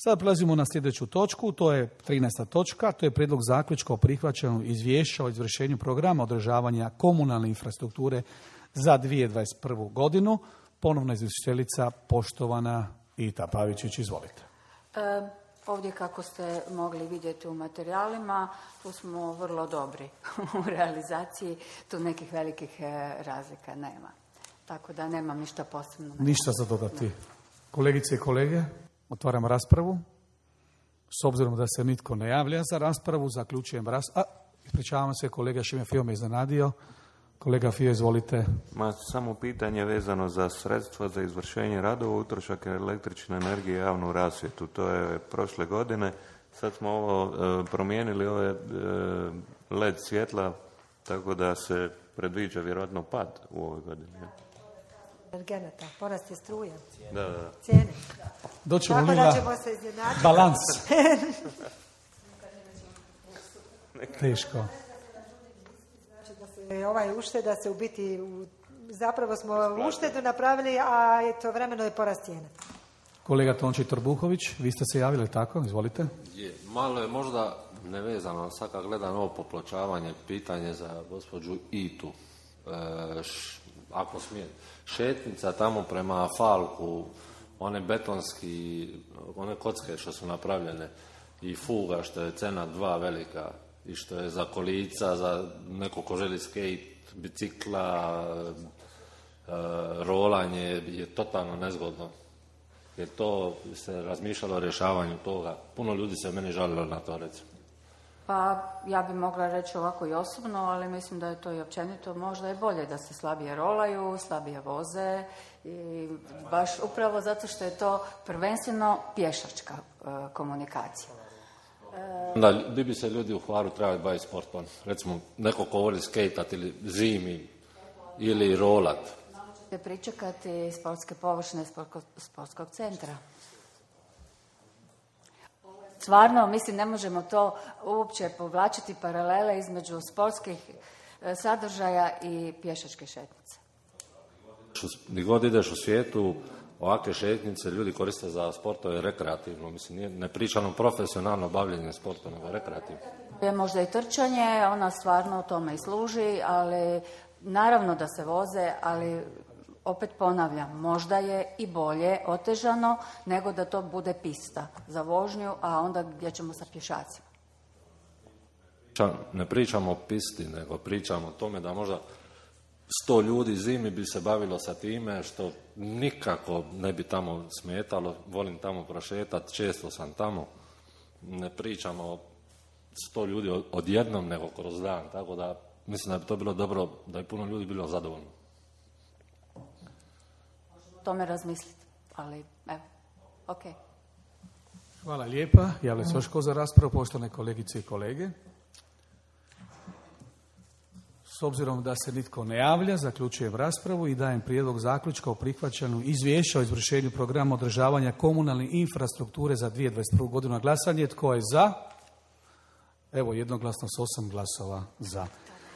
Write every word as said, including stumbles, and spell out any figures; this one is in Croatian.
Sada prelazimo na sljedeću točku, to je trinaesta točka, to je prijedlog zaključka o prihvaćanju izvješća o izvršenju programa održavanja komunalne infrastrukture za dvije tisuće dvadeset prvu godinu. Ponovna izvjestiteljica, poštovana Ita Pavičić, izvolite. E, ovdje, kako ste mogli vidjeti u materijalima, tu smo vrlo dobri u realizaciji, tu nekih velikih razlika nema. Tako da nemam ništa posebno. Ništa za dodati. Kolegice i kolege, otvaram raspravu. S obzirom da se nitko ne javlja za raspravu, zaključujem raspravu. A, ispričavam se, kolega Šime Fio me iznenadio. Kolega Fio, izvolite. Ma, samo pitanje vezano za sredstva za izvršenje radova, utrošak električne energije i javnu rasvjetu. To je prošle godine. Sad smo ovo e, promijenili ove e, L E D svjetla, tako da se predviđa vjerojatno pad u ovoj godini. Energenata, porast je struje. Da, da. Cijene. Doćemo Tako li da na ćemo se izjednačiti. balans? Teško. Znači da se ovaj ušteda se u biti, u, zapravo smo uštedu napravili, a eto vremeno je porast cijena. Kolega Tonči Trbuhović, vi ste se javili, tako? Izvolite. Je, malo je možda nevezano, sad kad gledam ovo popločavanje, pitanje za gospođu Itu. E, š, ako smijem, šetnica tamo prema Falku, one betonski, one kocke što su napravljene i fuga što je cena dva velika i što je za kolica, za neko ko želi skate, bicikla, e, rolanje je totalno nezgodno. Jer to se razmišljalo o rješavanju toga. Puno ljudi se meni žalilo na to, recimo. Pa ja bi mogla reći ovako i osobno, ali mislim da je to i općenito. Možda je bolje da se slabije rolaju, slabije voze i baš upravo zato što je to prvenstveno pješačka e, komunikacija. E... Da, bi bi se ljudi u Hvaru trebali baviti sportom. Recimo, neko ko voli skejtat ili zimi ili rolat. Pričekati sportske površine sportskog centra. Stvarno, mislim, ne možemo to uopće povlačiti paralele između sportskih sadržaja i pješačke šetnice. Gdje god ideš u svijetu, ovakve šetnice ljudi koriste za sportove rekreativno. Mislim, nije, ne pričano profesionalno bavljenje sportom, nego rekreativno. Je možda i trčanje, ona stvarno tome i služi, ali naravno da se voze, ali opet ponavljam, možda je i bolje otežano nego da to bude pista za vožnju, a onda gdje ćemo sa pješacima. Ne pričamo o pisti, nego pričamo o tome da možda sto ljudi zimi bi se bavilo sa time, što nikako ne bi tamo smetalo. Volim tamo prošetati, često sam tamo. Ne pričamo o sto ljudi odjednom, nego kroz dan. Tako da mislim da bi to bilo dobro, da bi puno ljudi bilo zadovoljno. O tome razmisliti, ali evo, ok. Hvala lijepa. Javlja se još ko za raspravu, poštovane kolegice i kolege. S obzirom da se nitko ne javlja, zaključujem raspravu i dajem prijedlog zaključka o prihvaćanju izvješća o izvršenju programa održavanja komunalne infrastrukture za dvije tisuće dvadeset prvu godinu na glasanje. Tko je za? Evo, jednoglasno s osam glasova za.